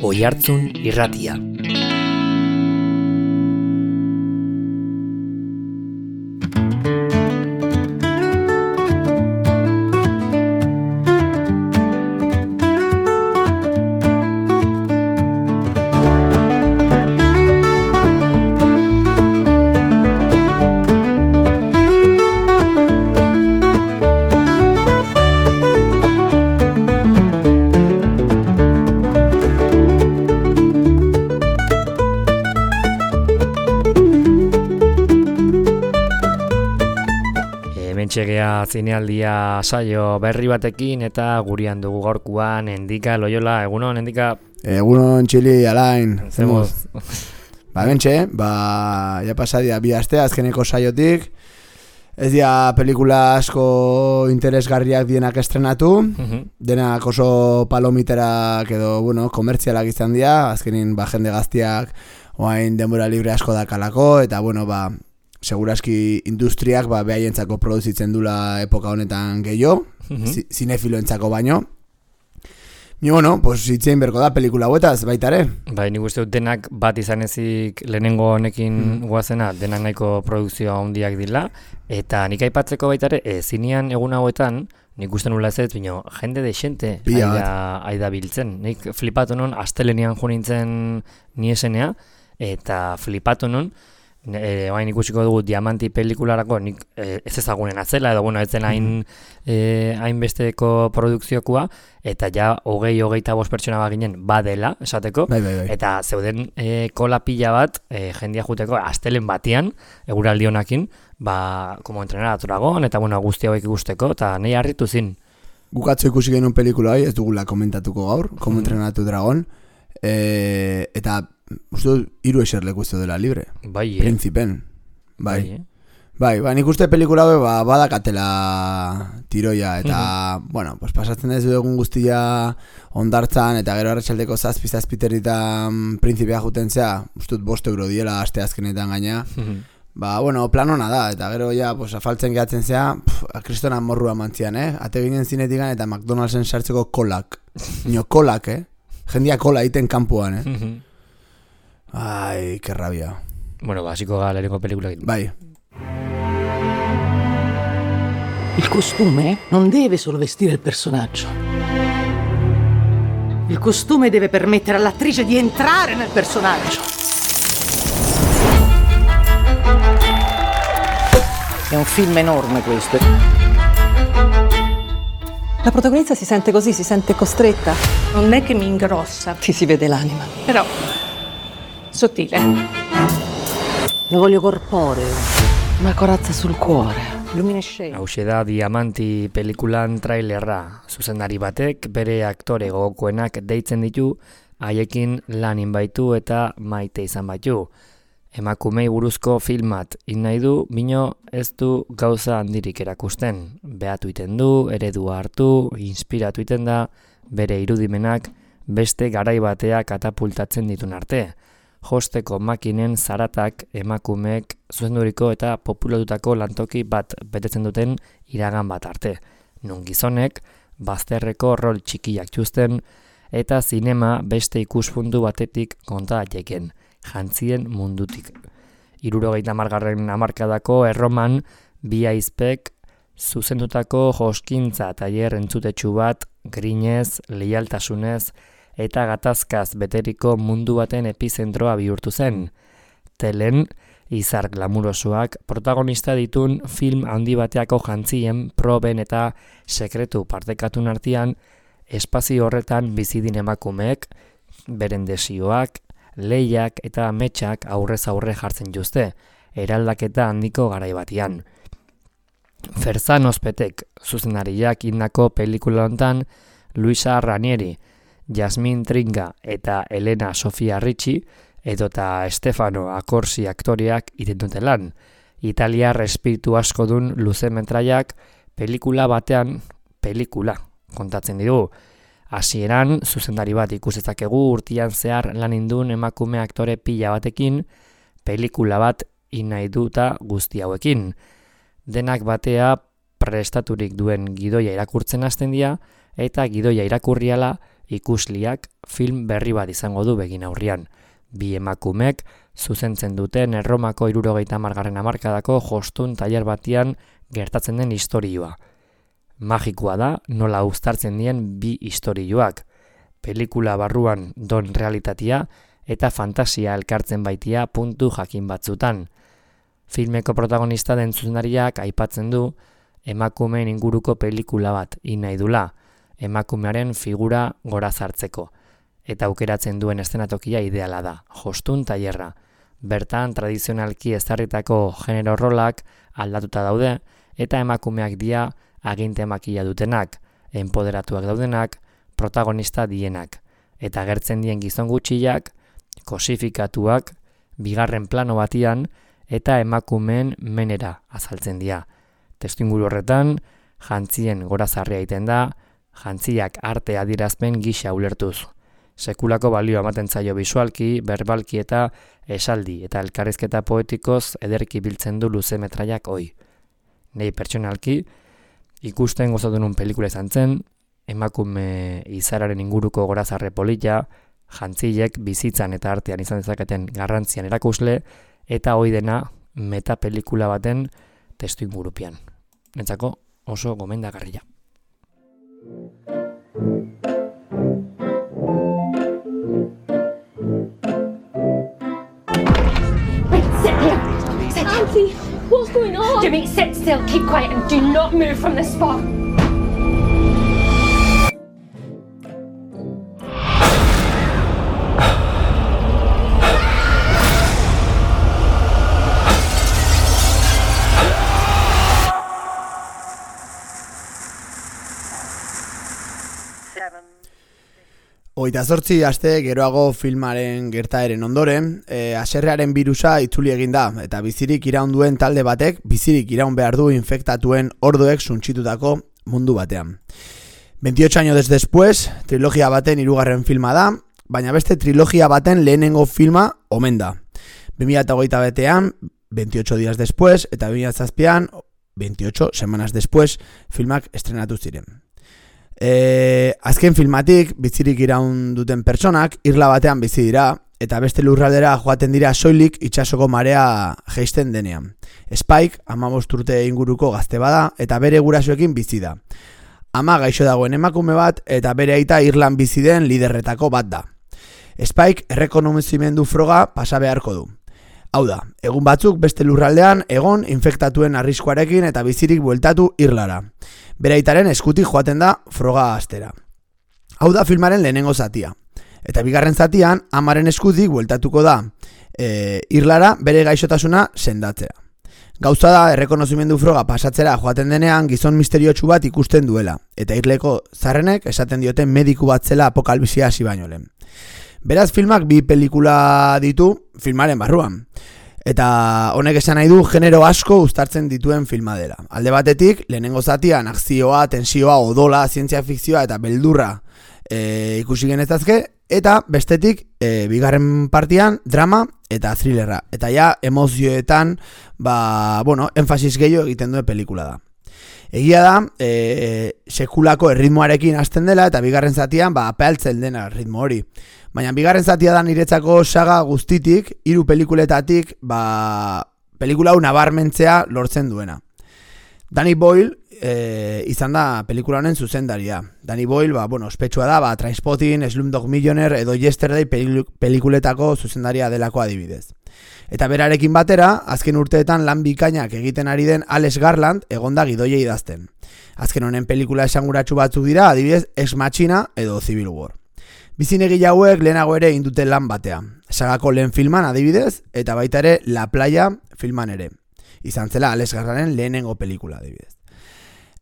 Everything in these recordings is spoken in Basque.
Oihartzun Irratia. Txegea zinealdia saio berri batekin eta gurean dugu gaurkoan Endika Loyola. Egunon, Endika? Egunon, Txili, Alain. Zemoz. Bentxe, ja pasadia bi aste azkeneko saiotik. Ez dira pelikula asko interesgarriak dienak estrenatu. Denak oso palomiterak edo, komertzialak izan dira. Azkenin, jende gaztiak oain denbora libre asko dakalako. Eta, seguraski industriak behaientzako produzitzen dula epoka honetan gehiago, zinefiloentzako baino. Ni itzein berko da pelikula huetaz, baita ere. Bai, nik uste dut denak bat izan ezik lehenengo honekin guazena, denak nahiko produkzioa handiak dila, eta nik aipatzeko baita ere, zinean egun hauetan, nik uste nula ez, bino, jende desente aida biltzen. Nik flipatu non, astelenean jo nintzen niesenea, eta flipatu non, Oain ikusiko dugu Diamanti pelikularako nik ez ezagunen atzela edo ez zen hainbesteko produkziokoa eta ja 20-25 pertsona baginen badela esateko bai. Eta zeuden kola pila bat jendia juteko astelen batian eguraldi honakin como entrenar a Dragon eta guzti hauek ikusteko eta nahi harritu zin. Gukatzo ikusi genuen pelikula ez dugula komentatuko gaur, como entrenar a Dragon eta uste hiru eserleku ez dela libre. Bai, Principen. Bai, nik uste pelikula badakatela tiroia eta, pasatzen ez dugun guztia ondartzan eta gero arratsaldeko zazpiterritan Principea jutentzea, uste 5 euro diela aste azkenetan gaina. Plan hona da, eta gero afaltzen gehatzen zea, kristona morrua mantzian, ate ginen zinetikan eta McDonald'sen sartzeko kolak. Kolak, jendia kola egiten kanpoan, Ay, qué rabia. Básico lehenengo película. Vai. Il costume non deve solo vestire il personaggio. Il costume deve permettere all'attrice di entrare nel personaggio. È un film enorme questo. La protagonista si sente così, si sente costretta. Non è che mi ingrossa. Ti si vede l'anima. Però sottile. Lo voglio corporeo, una corazza sul cuore, luminescente. Hauxe da Diamanti pelikulan trailerra. Zuzendari batek bere aktore gogokoenak deitzen ditu, haiekin lanin baitu eta maite izan baitu. Emakumei buruzko filmat nahi du, bino ez du gauza handirik erakusten. Behatu iten du, eredua hartu, inspiratu iten da, bere irudimenak beste garai batea katapultatzen ditun arte. Josteko makinen zaratak emakumeek zuzenduriko eta populatutako lantoki bat betetzen duten iragan bat arte. Nun gizonek, bazterreko rol txikiak txusten eta zinema beste ikuspuntu batetik konta daiteken, jantzien mundutik. 70. hamarkadako erroman bi aizpek zuzendutako joskintza tailer entzutetsu bat grinez, leialtasunez, eta gatazkaz beteriko mundu baten epizentroa bihurtu zen. Telen, izar glamurosoak protagonista ditun film handi bateako jantzien, proben eta sekretu partekatun artean, espazio horretan bizidin emakumeek, beren desioak, lehiak eta ametsak aurrez aurre jartzen juzte, eraldaketa handiko garai batean. Ferzan Ospetek, zuzendariak indako pelikula hontan, Luisa Ranieri, Jasmin Tringa eta Elena Sofia Ricci edota Stefano Accorsi aktoreak iten dute lan. Italiar espiritu asko dun luzemetraiak pelikula batean pelikula kontatzen ditu. Hasieran zuzendari bat ikusezakegu urtean zehar lan indun emakume aktore pila batekin pelikula bat nahi duta guzti hauekin. Denak batea prestaturik duen gidoia irakurtzen hasten dira eta gidoia irakurriala ikusliak film berri bat izango du begin aurrian. Bi emakumek zuzentzen duten Erromako 70. hamarkadako jostun tailer batian gertatzen den istorioa. Magikoa da nola uztartzen dien bi istorioak. Pelikula barruan don realitatea eta fantasia elkartzen baitia puntu jakin batzutan. Filmeko protagonista den zuzendariak aipatzen du emakumeen inguruko pelikula bat nahi dula, emakumearen figura gora zartzeko. Eta aukeratzen duen eszenatokia ideala da, jostun tailerra. Bertan tradizionalki ezarritako genero rolak aldatuta daude eta emakumeak dira aginte makila dutenak, enpoderatuak daudenak, protagonista dienak. Eta agertzen dien gizon gutxiak, kosifikatuak, bigarren plano batian eta emakumeen menera azaltzen dira. Testuinguru horretan, jantzien gorazarria egiten da, jantziak arte adierazpen gisa ulertuz. Sekulako balioa ematen zaio bisualki, berbalki eta esaldi eta elkarrizketa poetikoz ederki biltzen du luze metraiak hoi. Nei pertsonalki, ikusten gozatu nun pelikula izan zen, emakume izararen inguruko gorazarre polita, jantziek bizitzan eta artean izan dezaketen garrantzian erakusle, eta hoi dena metapelikula baten testuingurupean. Nentzako oso gomendagarria. Auntie, what's going on? Jimmy, sit still, keep quiet and do not move from this spot. Hogeita 8 aste geroago filmaren gertaeren ondoren, haserrearen birusa itzuli egin da, eta bizirik iraun duen talde batek, bizirik iraun behar du infektatuen orduek suntsitutako mundu batean. 28 años después, trilogia baten 3. filma da, baina beste trilogia baten lehenengo filma omen da. 2008 betean, 28 días después, eta 2007an, 28 semanas después, filmak estrenatu ziren. Azken filmatik bizirik iraun duten pertsonak irla batean bizi dira eta beste lurraldera joaten dira soilik itsasoko marea jaisten denean. Spike 15 urte inguruko gazte bada eta bere gurasoekin bizi da. Ama gaixo dagoen emakume bat eta bere aita Irlan bizi den liderretako bat da. Spike errekonozimendu froga pasa beharko du. Hau da, egun batzuk beste lurraldean egon infektatuen arriskuarekin eta bizirik bueltatu Irlara. Bere aitaren eskutik joaten da froga astera. Hau da filmaren lehenengo zatia. Eta bigarren zatian amaren eskutik bueltatuko da Irlara bere gaixotasuna sendatzea. Gauza da errekonozimendu froga pasatzera joaten denean gizon misteriotsu bat ikusten duela. Eta irleko zarrenek esaten dioten mediku bat zela apokalipsia hasi baino lehen. Beraz filmak bi pelikula ditu filmaren barruan. Eta honek esan nahi du genero asko uztartzen dituen filma dela. Alde batetik, lehenengo zatian akzioa, tensioa, odola, zientzia fikzioa eta beldurra ikusi genezazke, eta bestetik, bigarren partian, drama eta thrillerra. Eta ja, emozioetan, enfasis gehiago egiten duen pelikula da. Egia da, sekulako erritmoarekin hasten dela eta bigarren zatian apaltzen dena ritmo hori. Baina bigarren zatia da niretzako saga guztitik, 3 pelikuletatik, pelikula hau nabarmentzea lortzen duena. Danny Boyle izan da pelikula honen zuzendaria. Danny Boyle, ospetsua da, Trainspotting, Slumdog Millionaire edo Yesterday pelikuletako zuzendaria delako adibidez. Eta berarekin batera, azken urteetan lan bikainak egiten ari den Alex Garland egonda gidoia idazten. Azken honen pelikula esanguratsu batzuk dira, adibidez Ex Machina edo Civil War. Bizinegile hauek lehenago ere indute lan batea. Sagako lehen filman adibidez, eta baita ere La Playa filman ere. Izan zela Alex Garlanden lehenengo pelikula adibidez.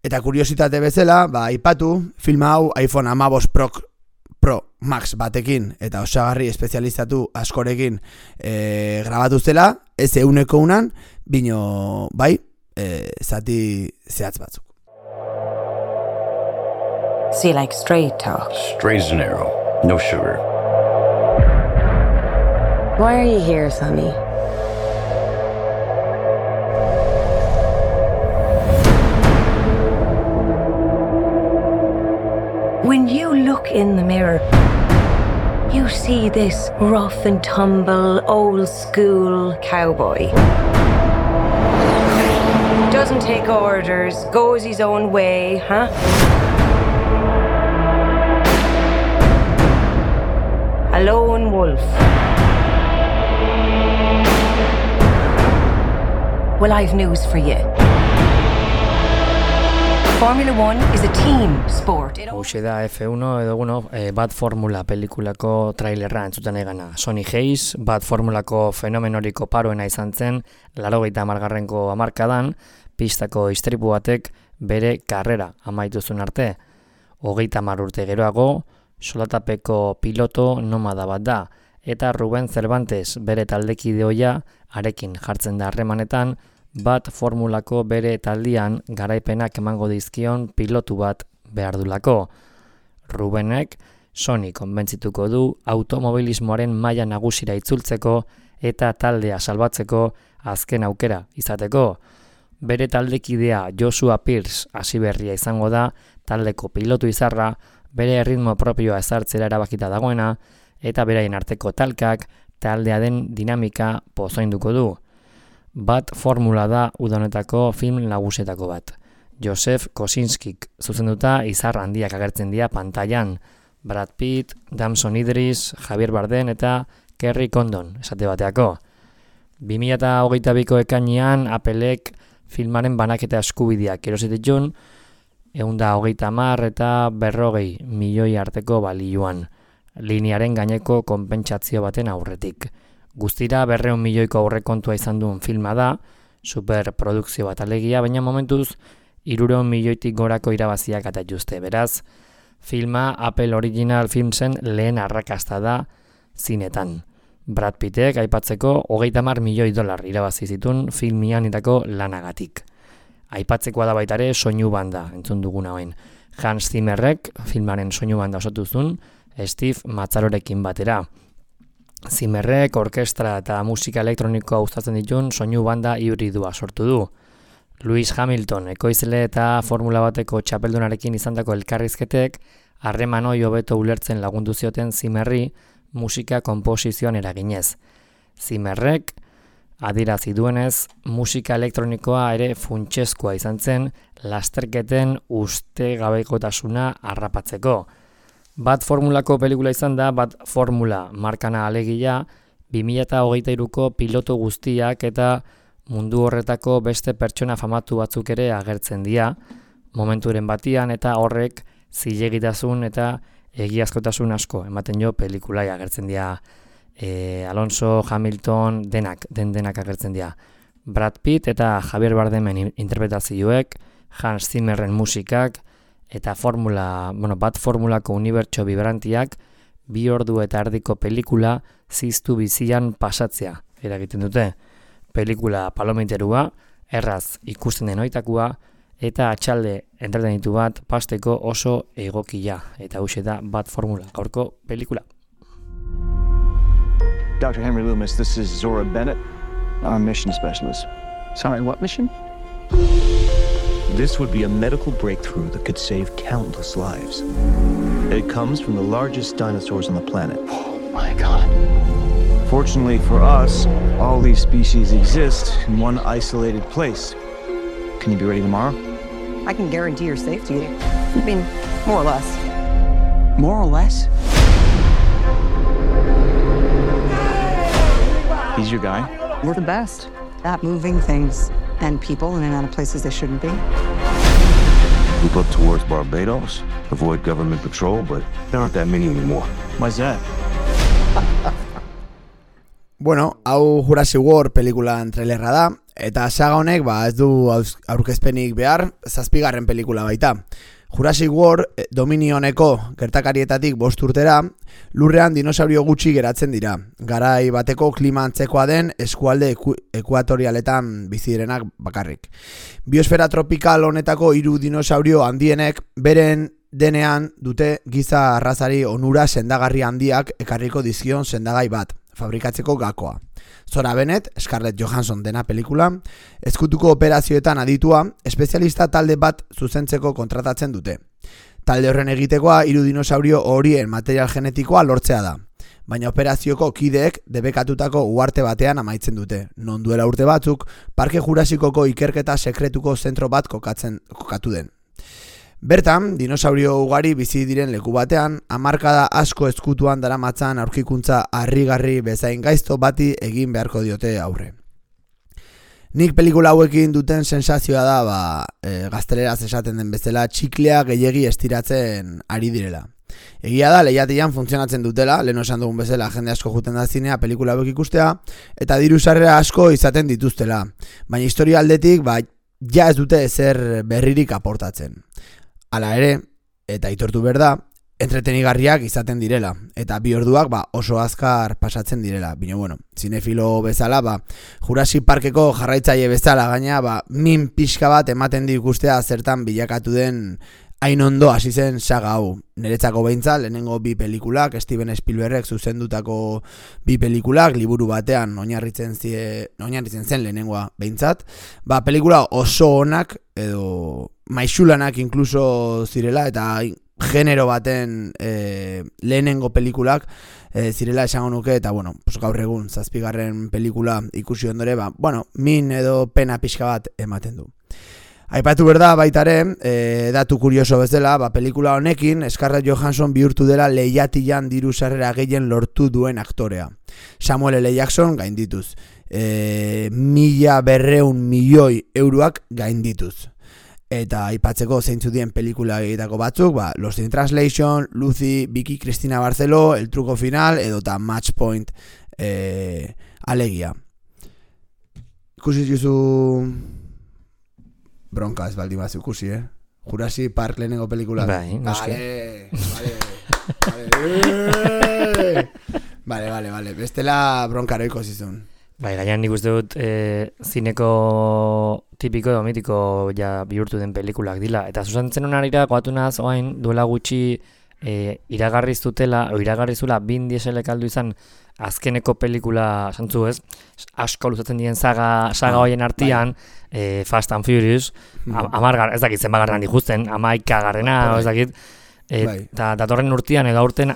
Eta kuriositate bezala, aipatu, filma hau iPhone 15 Pro Max batekin eta osagarri espezializatu askorekin grabatu zela, ez euneko unan, bino zati zehatz batzuk. So you like straight talk? Straight as an arrow, no sugar. Why are you here, Sonny? When you look look in the mirror, you see this rough and tumble, old school cowboy. Doesn't take orders, goes his own way, huh? A lone wolf. Well, I've news for you. Formula One is a team sport. Hauxe da F1 edo Bad Formula pelikulako trailerra entzuten egana. Sonny Hayes, Bad Formulako fenomenoriko paroena izan zen, 80. hamarkadan, pistako istripu batek bere karrera amaitu zuen arte. 30 urte geroago, solatapeko piloto nomada bat da, eta Ruben Cervantes bere taldekideoia arekin jartzen da harremanetan, Bad Formulako bere taldian garaipenak emango dizkion pilotu bat behar dulako. Rubenek Sony konbentzituko du automobilismoaren maila nagusira itzultzeko eta taldea salbatzeko azken aukera izateko. Bere taldekidea Joshua Pierce hasiberria izango da taldeko pilotu izarra, bere ritmo propioa ezartzera erabakita dagoena eta beraien arteko talkak taldea den dinamika pozoinduko du. Bad Formula da udonetako film nagusietako bat. Joseph Kosinskik zuzenduta izar handiak agertzen dira pantailan. Brad Pitt, Damson Idris, Javier Bardem eta Kerry Condon esate bateako. 2022ko ekainean Applek filmaren banaketa eskubideak erosi ditun 130 eta 40 milioi arteko balioan, linearen gaineko konpentsazio baten aurretik. Guztira 200 milioiko aurrekontua izan duen filma da, superprodukzio bat alegia, baina momentuz 300 milioitik gorako irabaziak atatuzte. Beraz, filma Apple Original Filmsen lehen arrakasta da zinetan. Brad Pittek aipatzeko 30 milioi dolar irabazi zituen filmianitako lanagatik. Aipatzekoa da baitare soinu banda, entzun duguna hoen. Hans Zimmerrek filmaren soinu banda osatu zuen Steve Mazzarorekin batera. Zimmerrek orkestra eta musika elektronikoa uztatzen dituen soinu banda hibridua sortu du. Lewis Hamilton ekoizle eta Formula bateko txapeldunarekin izandako elkarrizketek harreman hori hobeto ulertzen lagundu zioten Zimmerri musika konposizioan eraginez. Zimmerrek adierazi duenez, musika elektronikoa ere funtsezkoa izan zen lasterketen ustegabekotasuna harrapatzeko. Bad Formulako pelikula izan da Bad Formula markana alegia 2023ko piloto guztiak eta mundu horretako beste pertsona famatu batzuk ere agertzen dira momenturen batian, eta horrek zilegitasun eta egiazkotasun asko ematen jo pelikulai agertzen dira. Alonso, Hamilton, denak agertzen dira. Brad Pitt eta Javier Bardemen interpretazioek, Hans Zimmerren musikak eta Bad Formulako unibertso vibrantiak 2 ordu eta erdiko pelikula ziztu bizian pasatzea eragiten dute. Pelikula palomiterua, erraz ikusten den oitakoa eta atxalde entretenitu bat pasteko oso egokia. Eta hauxe da Bad Formula, gaurko pelikula. Dr. Henry Loomis, this is Zora Bennett. I'm a mission specialist. Sorry, what mission? This would be a medical breakthrough that could save countless lives. It comes from the largest dinosaurs on the planet. Oh my God. Fortunately for us, all these species exist in one isolated place. Can you be ready tomorrow? I can guarantee your safety. I mean, more or less. More or less? He's your guy? We're the best at moving things and people in and out of places they shouldn't be. We look towards Barbados, avoid government patrol, but there aren't that many anymore. Why's that? Bueno, hau Jurassic World pelikulan trailerra da, eta saga honek ez du aurkezpenik behar, 7. pelikula baita. Jurassic World Dominioneko gertakarietatik 5 urtera, lurrean dinosaurio gutxi geratzen dira. Garai bateko klima antzekoa den eskualde ekuatorialetan bizi direnak bakarrik. Biosfera tropikal honetako 3 dinosaurio handienek beren denean dute giza arrazari onura sendagarri handiak ekarriko dizkion sendagai bat, fabrikatzeko gakoa. Zora Bennett, Scarlett Johansson dena pelikula, ezkutuko operazioetan aditua, espezialista talde bat zuzentzeko kontratatzen dute. Talde horren egitekoa 3 dinosaurio horien material genetikoa lortzea da. Baina operazioko kideek debekatutako uharte batean amaitzen dute. Non duela urte batzuk, Parke Jurasikoko ikerketa sekretuko zentro bat kokatu den. Bertan, dinosaurio ugari bizi diren leku batean, hamarkada asko ezkutuan daramatzan aurkikuntza harrigarri bezain gaizto bati egin beharko diote aurre. Nik pelikula hauekin duten sensazioa da, gazteleraz esaten den bezala, txiklea gehiegi estiratzen ari direla. Egia da, lehiatian funtzionatzen dutela, lehen esan dugun bezala jende asko juten da zinea pelikula hauek ikustea, eta diru sarrera asko izaten dituztela. Baina historia aldetik, ja ez dute ezer berririk aportatzen. Hala ere, eta aitortu behar da, entretenigarriak izaten direla, eta 2 orduak oso azkar pasatzen direla. Bino, zinefilo bezala, Jurassic Parkeko jarraitzaile bezala, gaina, min pixka bat ematen di ikustea zertan bilakatu den hain ondo hasi zen saga hau. Niretzako behintzat, lehenengo 2 pelikulak, Steven Spielbergek zuzendutako 2 pelikulak, liburu batean oinarritzen zen lehenengoa behintzat. Pelikula oso onak, edo maixulanak inkluso zirela, eta genero baten lehenengo pelikulak zirela esango nuke, eta gaur egun 7. pelikula ikusi ondore, min edo pena pixka bat ematen du. Aipatu berda baitare, datu kurioso bezala, pelikula honekin Scarlett Johansson bihurtu dela lehiatilan diru sarrera gehien lortu duen aktorea. Samuel L. Jackson gaindituz. 1.200 milioi euroak gaindituz. Eta aipatzeko zeintzu dien pelikula egitako batzuk, Lost in Translation, Lucy, Vicky Cristina Barceló, El truco final, edota Match Point alegia. Ikusi juzu bronka ez baldin bat ikusi, Jurassic Park lehenengo pelikula. Bai, noski. Vale. Bestela bronkaro ikusi zuen. Gaian nik uste dut zineko tipiko edo mitiko bihurtu den pelikulak dila. Eta zuzentzen honarira, goatu naz, oain duela gutxi iragarrizula Vin Dieselek aldu izan azkeneko pelikula, santzu ez, asko luzatzen dien saga hoien artian, Fast and Furious, ez dakit zenbagarran dikusten, 11garrena, ez dakit, eta datorren urtean edo aurten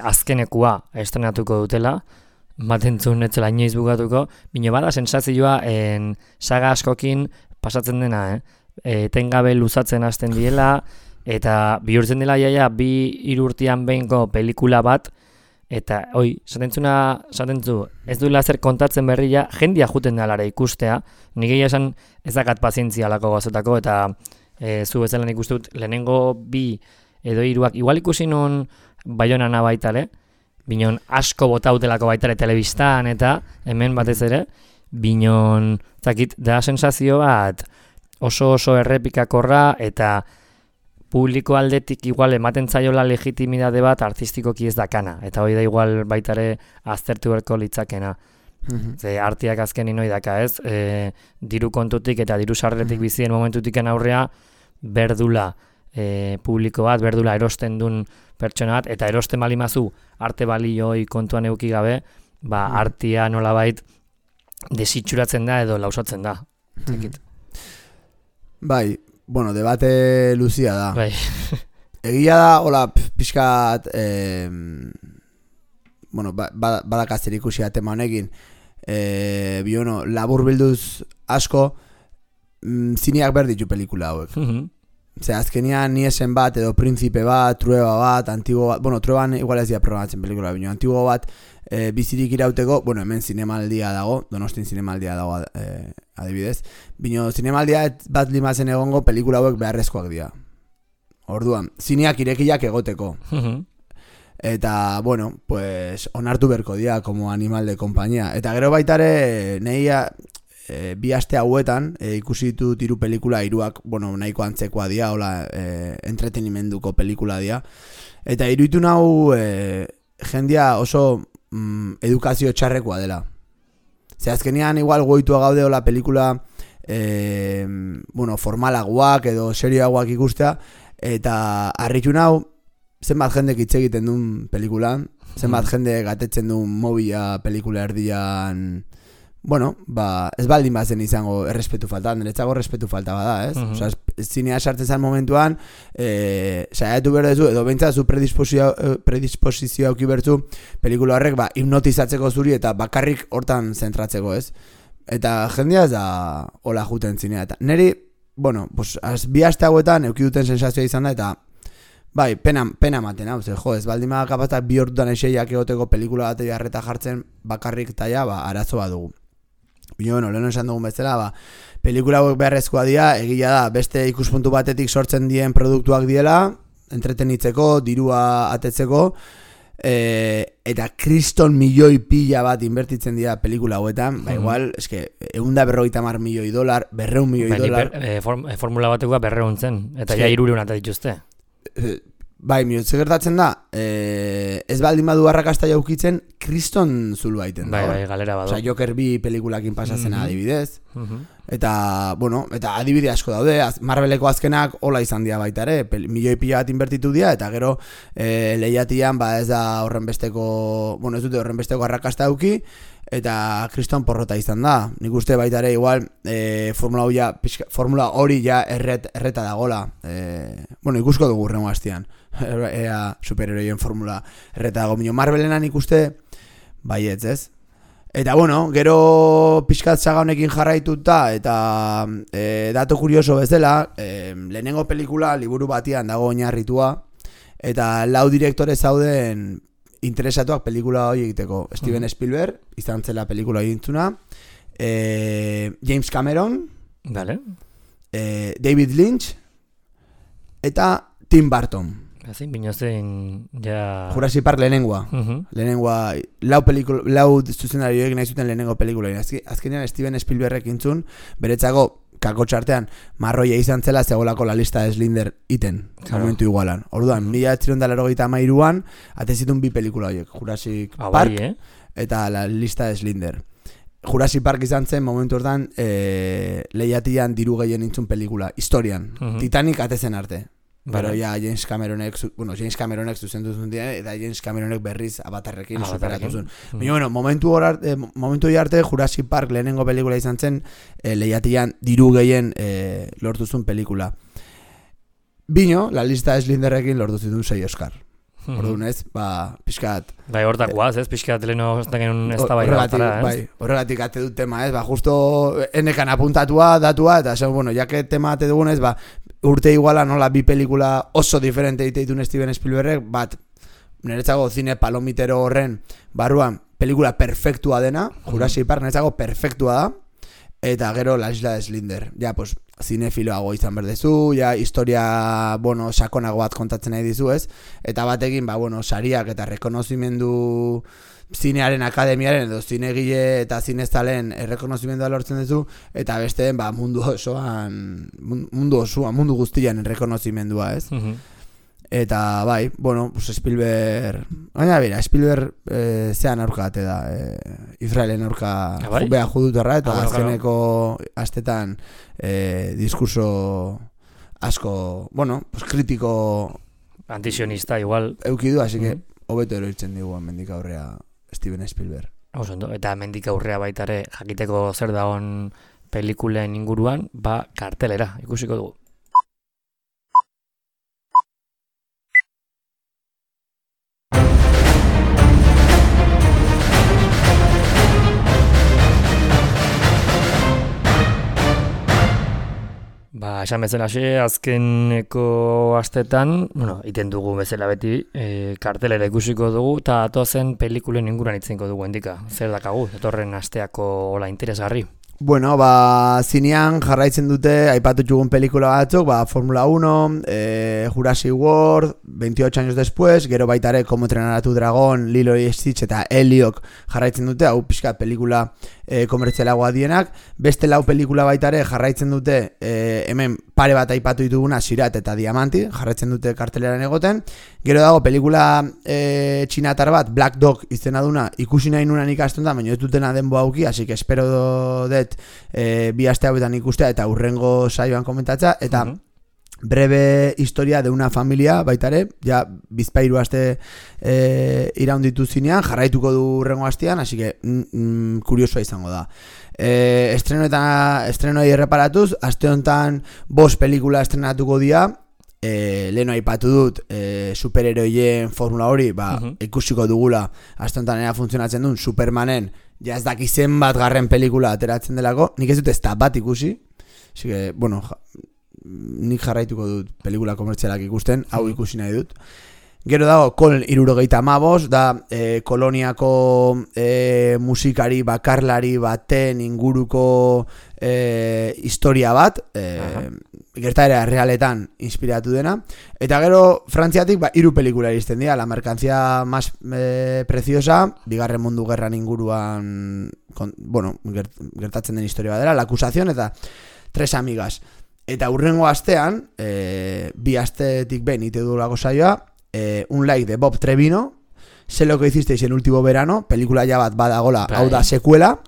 azkenekua estrenatuko dutela, batentzun etzela inoiz bukatuko, bino bada sensazioa saga askokin pasatzen dena, etengabe luzatzen hasten diela, eta bihurtzen dela 2-3 urtean behinko pelikula bat, eta esatentzu, ez duela zer kontatzen berria, jendia juten dalara ikustea, nik egia esan ezakat pazientzia lako gozatako, eta zu bezala nik uste dut lehenengo 2 edo 3, igual ikusi non Baionana baitale, binon asko botautelako baitare telebistan eta hemen batez ere, binon zakit da sensazio bat oso errepikakorra eta publiko aldetik igual ematen zaiola legitimidade bat artistikoki ez dakana, eta hori da igual baitare aztertu berko litzakena. Ze artiak azkenin hori daka ez, diru kontutik eta diru sarreretik bizien momentutik aurrea berdula publiko bat, berdula erosten duen pertsona bat, eta erosten balimazu arte balioi kontuan euki gabe, artia nolabait desitxuratzen da edo lausatzen da. Bai, debate luzia da. Bai. Egia da, hola, pixkat, badakazer ikusia tema honekin, labur bilduz asko, zineak berditu pelikula hauek. Ze azkenian ni esen bat, edo Príncipe bat, Trueba bat, Antigo bat, Trueban igual ez dira programatzen pelikula, bino, Antigo bat bizirik irauteko, hemen zinemaldia dago, Donostin zinemaldia dago adibidez, bino, zinemaldia bat limazen egongo pelikula hauek beharrezkoak dira. Orduan, zineak irekiak egoteko. Eta, onartu berko dira, como animal de compañía. Eta gero baitare, nahia, 2 aste hauetan ikusi ditut 3 pelikula, 3ak nahiko antzekoa dira, hola entretenimenduko pelikula dira, eta iruditu nau jendia oso edukazio txarrekoa dela. Ze azkenean igual goitua gaude hola pelikula formalagoak edo serioagoak ikustea, eta harritu nau zenbat jendek hitz egiten duen pelikulan, zenbat jende gatetzen duen mobila pelikula erdian bueno, ez baldin bazen izango errespetu falta, niretzako errespetu falta bada, ez? Osea, zinea sartzen zen momentuan, saiatu behar duzu, edo behintzat zu predisposizioa auki bertu, pelikula horrek, hipnotizatzeko zuri eta bakarrik hortan zentratzeko, ez? Eta jendea ez da hola juten zinea, eta niri, bueno, pues, bi aste hauetan euki duten sensazioa izan da, eta bai, pena ematen, hau, ez baldin bada kapazak bi hortutan eseiak egoteko pelikula bat jarreta jartzen bakarrik taia, arazoa dugu. Bino, leheno esan dugun bezala, pelikula hauek beharrezkoa dira, egia da, beste ikuspuntu batetik sortzen dien produktuak diela, entretenitzeko, dirua atetzeko, eta kriston milioi pila bat inbertitzen dira pelikula hauetan, igual, eske, $150 milioi, $200 milioi. Formula batekoa 200 zen, eta ja 300 eta dituzte. Bai, minutze gertatzen da, ez baldin badu arrakasta jaukitzen, kriston zulu aiten da. Bai, galera badu. Osa, Joker 2 pelikulakin pasatzen adibidez. Eta, bueno, eta adibide asko daude, Marveleko azkenak hola izan dira baita ere, milioi pila bat inbertitu dira, eta gero lehiatian ez da horrenbesteko, bueno, ez dute horrenbesteko arrakasta auki, eta kriston porrota izan da. Nik uste baita ere igual formula hori ja erreta dagola. Bueno, ikusko dugu rengo hastian. Ea superheroien formula erreta dago. Marvelena nik uste baietz, ez? Eta bueno, gero pixkat saga honekin jarraituta eta dato kurioso bezala, lehenengo pelikula liburu batian dago oinarritua eta 4 direktore zauden interesatuak pelikula hori egiteko. Steven Spielberg, izan zela pelikula egintzuna, James Cameron, David Lynch eta Tim Burton. Ezin, binozen, ja... Jurassic Park lehenengoa. Lehenengoa, 4 zuzendarioek nahi zuten lehenengo pelikula. Azkenean Steven Spielbergek intzun, beretzako kakotxartean marroia izan zela zegolako la lista de Schindler iten, momentu igualan. Orduan, 1983an atezitun 2 pelikula horiek, Jurassic Park eta la lista de Schindler. Jurassic Park izan zen momentu ordan lehiatian diru gehien intzun pelikula, historian. Titanic atezen arte. Pero ya James Cameronek zuzendu zuen dira, eta James Cameronek berriz Avatarrekin superatu zuen. Bueno, momentu arte Jurassic Park lehenengo pelikula izan zen, lehiatian diru gehien lortu zuen pelikula. Bino, la lista de Schindlerrekin lortu zuen 6 Oscar. Orduan ez, pixkat... Bai, hortakoaz, ez, pixkat leheno ez da bai batara, ez? Horregatik ate dut tema, ez, justo enekan apuntatua, datua, eta bueno, jake tema ate dugun ez, urte iguala nola 2 pelikula oso diferente egiteitun Steven Spielbergek, niretzako zine palomitero horren barruan pelikula perfektua dena, Jurassic Park niretzako perfektua da, eta gero La Isla de Schindler. Ja, pues, zinefiloago izan berdezu, ja, historia, bueno, sakonago bat kontatzen nahi dizu, ez? Eta batekin, bueno, sariak eta rekonozimendu zinearen akademiaren edo zinegile eta zineztalen rekonozimendua lortzen duzu, eta besteen, mundu guztian rekonozimendua, ez? Eta bai, bueno, pues Spielberg, baina bera, Spielberg zean aurka ate da, Israelen aurka beha judutarra, eta azkeneko astetan diskurso asko, bueno, pues kritiko antisionista igual eukidu, así que hobeto eroitzen digu mendik aurrea Steven Spielberg. Eta mendik aurrea baitare jakiteko zer dagoen pelikulen inguruan, kartelera ikusiko dugu. Esan bezala azkeneko astetan, iten dugu bezala beti, kartelera ikusiko dugu, eta atozen pelikulen inguruan itzenko dugu endika. Zer dakagu, etorren asteako hola interesgarri? Bueno, zinean jarraitzen dute aipatu txugun pelikula batzuk, Formula 1, Jurassic World, 28 años después, gero baitare Como entrenar a tu dragón, Lilo y Stitch eta Heliok jarraitzen dute, hau pixka pelikula komertzialagoa dienak. Beste 4 pelikula baitare jarraitzen dute, hemen pare bat aipatu dituguna, Sirat eta Diamanti, jarraitzen dute karteleran egoten. Gero dago pelikula txinatar bat, Black Dog izena duna, ikusi nahi nunan ikastun da, baina ez dutena denbo auki, así que espero dut 2 aste hauetan ikustea eta urrengo saioan komentatza, eta breve historia de una familia baitare, ja bizpairu aste iraunditu zinean, jarraituko du urrengo astean, así que kuriosoa izango da. Estrenoei erreparatuz, aste honetan 5 pelikula estrenatuko dira, leheno aipatu dut superheroien formula hori, ikusiko dugula aste honetan era funtzionatzen duen Supermanen, ja ez daki zenbat garren pelikula ateratzen delako, nik ez dut ez da bat ikusi, así que, bueno, nik jarraituko dut pelikula komertzialak ikusten, hau ikusi nahi dut. Gero dago, Kol 75, da koloniako musikari bakarlari baten inguruko historia bat, gertaera realetan inspiratu dena. Eta gero, Frantziatik 3 pelikula iristen dira, La mercancía más preciosa, Bigarren Mundu Gerran inguruan, gertatzen den historia bat dela, La acusación eta 3 amigas. Eta hurrengo astean, 2 astetik behin ite dugulako saioa, Un like de Bob Trevino, Sé lo que hicisteis el último verano, pelikula ja bat badagola, hau da sekuela,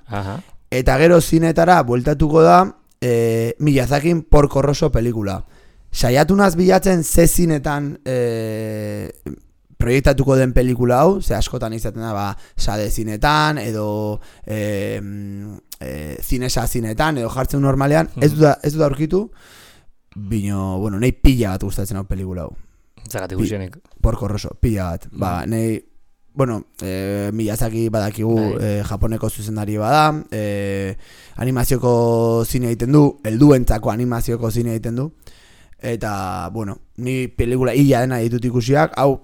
eta gero zinetara bueltatuko da Miyazakin Porco Rosso pelikula. Saiatu naz bilatzen ze zinetan proiektatuko den pelikula hau, ze askotan izaten da, sade zinetan, edo zinesa zinetan, edo jartzen normalean, ez dut aurkitu, bino, bueno, nahi pila bat gustatzen hau pelikula hau. Zagatik guzienik. Porco Rosso, pila bat. Nahi, bueno, Miyazaki badakigu japoneko zuzendari bada, animazioko zine egiten du, helduentzako animazioko zine egiten du, eta, bueno, ni pelikula illa dena ditut ikusiak, hau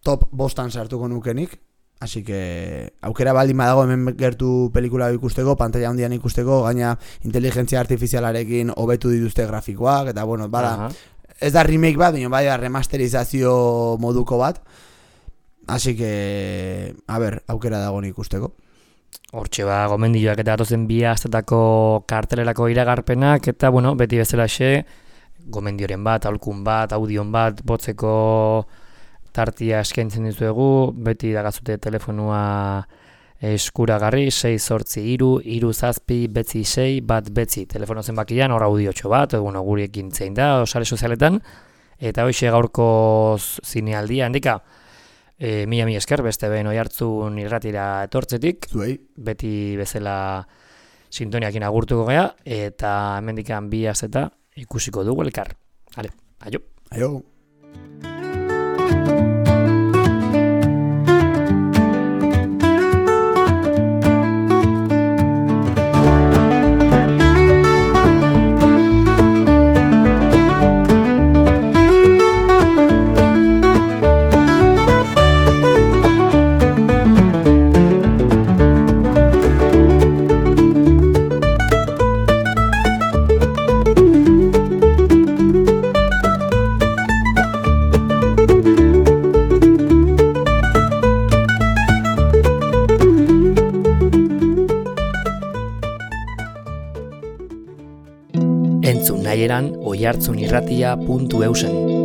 top 5 sartuko nukenik, así que aukera baldin badago hemen gertu pelikula ikusteko, pantalla handian ikusteko, gaina inteligentzia artifizialarekin hobetu dituzte grafikoak, eta bueno, bada, ez da remake bat, baina bai da remasterizazio moduko bat, así que, a ver, aukera dago ikusteko. Hortxe gomendioak eta datozen 2 astetako kartelerako iragarpenak, eta bueno, beti bezalaxe, gomendioren bat, aholkun bat, audion bat, botzeko tartia eskaintzen dizuegu, beti dagazute telefonua eskuragarri, 683-376-6 telefono zenbakian, hor audiotxo bat, bueno, guriekin zein da, sare sozialetan, eta hoxe gaurko zinealdia, handika, mila esker, beste behin Oihartzun irratira etortzetik, beti bezala sintoniakin agurtuko gea, eta hemendikan 2 asteta ikusiko dugu elkar. Hale, aio. Aio. Entzun nahieran oihartzunirratia.eusen.